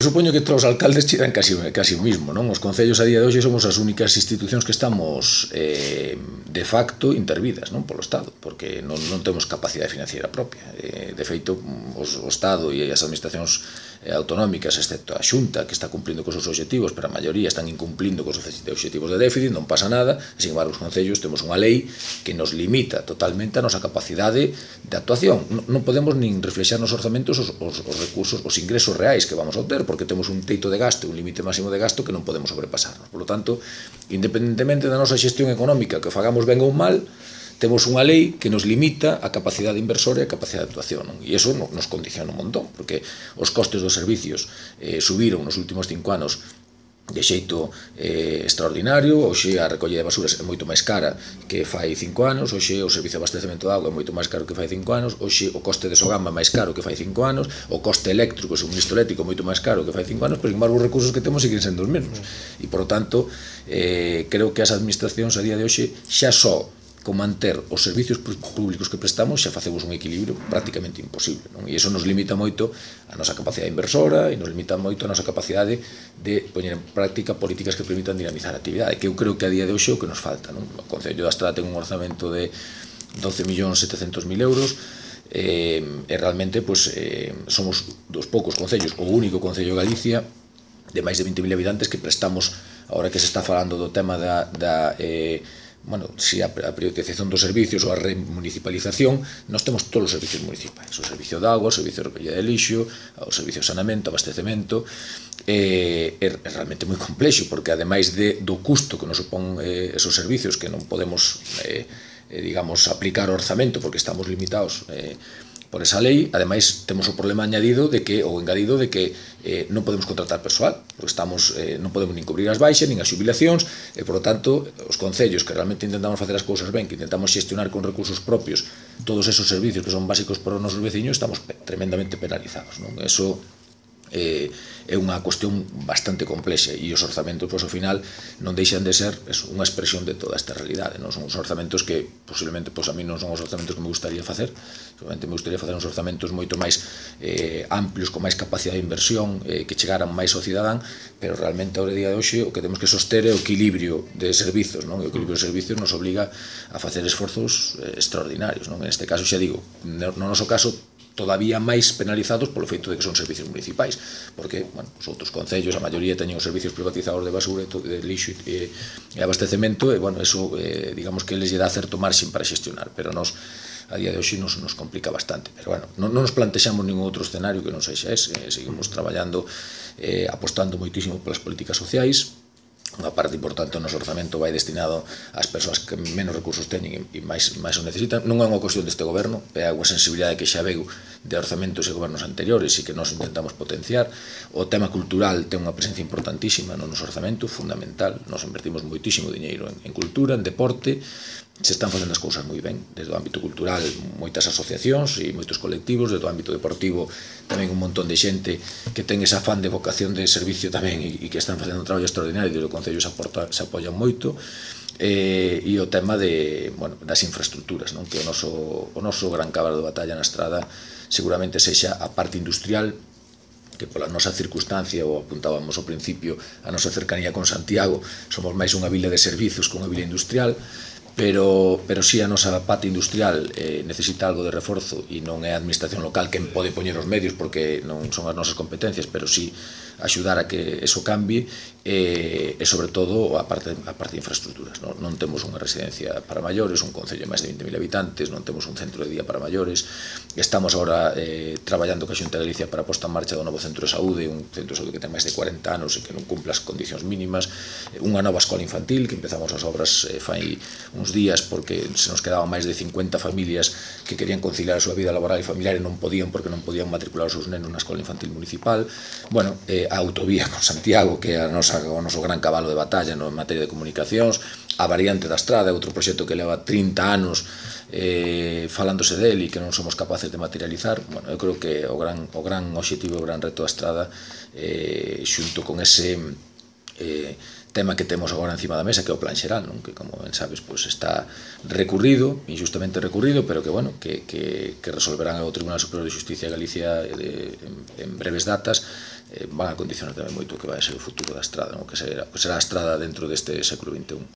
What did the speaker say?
Supoño que todos os alcaldes chidan casi o mismo, non? Os concellos a día de hoxe somos as únicas institucións que estamos de facto intervidas, non? Polo Estado, porque non temos capacidade financiera propia. De feito, o Estado e as administracións autonómicas, excepto a Xunta, que está cumplindo cos seus obxectivos, pero a maioría están incumplindo cos obxectivos de déficit, non pasa nada, e, sin embargo, os concellos temos unha lei que nos limita totalmente a nosa capacidade de actuación. Non podemos nin reflexar nos orzamentos os recursos, os ingresos reais que vamos a obter, porque temos un teito de gasto, un límite máximo de gasto que non podemos sobrepasarnos. Por lo tanto, independentemente da nosa xestión económica, que fagamos ben ou mal, temos unha lei que nos limita a capacidade inversora e a capacidade de actuación, non? E iso nos condiciona un montón, porque os costes dos servicios subiron nos últimos 5 anos de xeito extraordinario. Hoxe a recolla de basuras é moito máis cara que fai 5 anos, hoxe o servicio de abastecemento de auga é moito máis caro que fai 5 anos, hoxe o coste de Sogama é máis caro que fai 5 anos, o coste eléctrico, o suministro eléctrico é moito máis caro que fai 5 anos, pero, sin embargo, os recursos que temos siguen sendo os mesmos. E, por lo tanto, creo que as administracións a día de hoxe xa só con manter os servicios públicos que prestamos xa facemos un equilibrio prácticamente imposible, non? E iso nos limita moito a nosa capacidade inversora e nos limita moito a nosa capacidade de poñer en práctica políticas que permitan dinamizar a actividade, que eu creo que a día de hoxe é o que nos falta, non? O Concello da Estrada ten un orzamento de 12.700.000 euros, e realmente somos dos poucos concellos, o único concello de Galicia de máis de 20.000 habitantes que prestamos, agora que se está falando do tema si a privatización dos servicios ou a remunicipalización, nós temos todos os servicios municipais, o servicio de agua, o servicio de recollida de lixo, o servicio de saneamento, abastecemento. É realmente moi complexo, porque ademais do custo que nos supón esos servicios, que non podemos aplicar o orzamento porque estamos limitados por esa lei, ademais temos o problema engadido de que non podemos contratar persoal, porque non podemos nin cubrir as baixas, nin as xubilacións, e, por lo tanto, os concellos que realmente intentamos facer as cousas ben, que intentamos xestionar con recursos propios todos esos servicios que son básicos para os nosos veciños, estamos tremendamente penalizados, non? Eso é unha cuestión bastante complexa, e os orzamentos, ao final, non deixan de ser unha expresión de toda esta realidade, non? Son os orzamentos que, posiblemente, a mí non son os orzamentos que me gustaría facer. Seguramente me gustaría facer uns orzamentos moito máis amplios, con máis capacidade de inversión, que chegaran máis ao cidadán, pero realmente, ao día de hoxe, o que temos que soster é o equilibrio de servizos, non? E o equilibrio de servizos nos obliga a facer esforzos extraordinarios, non? En este caso, xa digo, no noso caso, todavía máis penalizados polo feito de que son servicios municipais, porque, os outros concellos, a maioría teñen os servicios privatizados de basura, de lixo e abastecemento, e, eso, digamos que eles lle dá certo marxen para xestionar, pero nos, a día de hoxe, nos complica bastante. Pero, non nos plantexamos ningún outro escenario que non sexa ese. Seguimos traballando, apostando moitísimo polas políticas sociais. Unha parte importante do noso orzamento vai destinado ás persoas que menos recursos teñen e máis o necesitan. Non é unha cuestión deste goberno, é unha sensibilidade que xa veu de orzamentos e gobernos anteriores e que nós intentamos potenciar. O tema cultural ten unha presencia importantísima no noso orzamento, fundamental. Nos invertimos moitísimo diñeiro en cultura, en deporte. Se están facendo as cousas moi ben. Desde o ámbito cultural, moitas asociacións e moitos colectivos. Desde o ámbito deportivo, tamén un montón de xente que ten ese afán de vocación de servicio tamén e que están facendo un traballo extraordinario, e o Concello se apoian moito. E o tema das infraestructuras, que o noso gran cabalo de batalla na Estrada seguramente sexa a parte industrial, que pola nosa circunstancia, ou apuntábamos ao principio, a nosa cercanía con Santiago, somos máis unha vila de servizos que unha vila industrial, pero si a nosa pata industrial necesita algo de reforzo, e non é a administración local quen pode poñer os medios porque non son as nosas competencias, pero si axudar a que eso cambie, e sobre todo a parte de infraestructuras. Non temos unha residencia para maiores, un concello de máis de 20.000 habitantes, non temos un centro de día para maiores. Estamos agora traballando ca Xunta de Galicia para a posta en marcha do novo centro de saúde, un centro de saúde que ten máis de 40 anos e que non cumpre as condicións mínimas, unha nova escola infantil, que empezamos as obras fai uns días, porque se nos quedaban máis de 50 familias que querían conciliar a súa vida laboral e familiar e non podían, porque non podían matricular os seus nenos na escola infantil municipal. A autovía con Santiago, que é o noso gran cabalo de batalla en materia de comunicacións, a variante da Estrada, outro proxecto que leva 30 anos falándose del e que non somos capaces de materializar. Eu creo que o gran obxectivo, o gran reto da Estrada, xunto con ese tema que temos agora encima da mesa, que é o plan xeral, non? Que, como ben sabes, pois está recurrido, injustamente recurrido, pero que, bueno, que resolverán o Tribunal Superior de Xusticia de Galicia en breves datas, van a condicionar tamén moito o que vai ser o futuro da estrada, non? Que será a estrada dentro deste século XXI.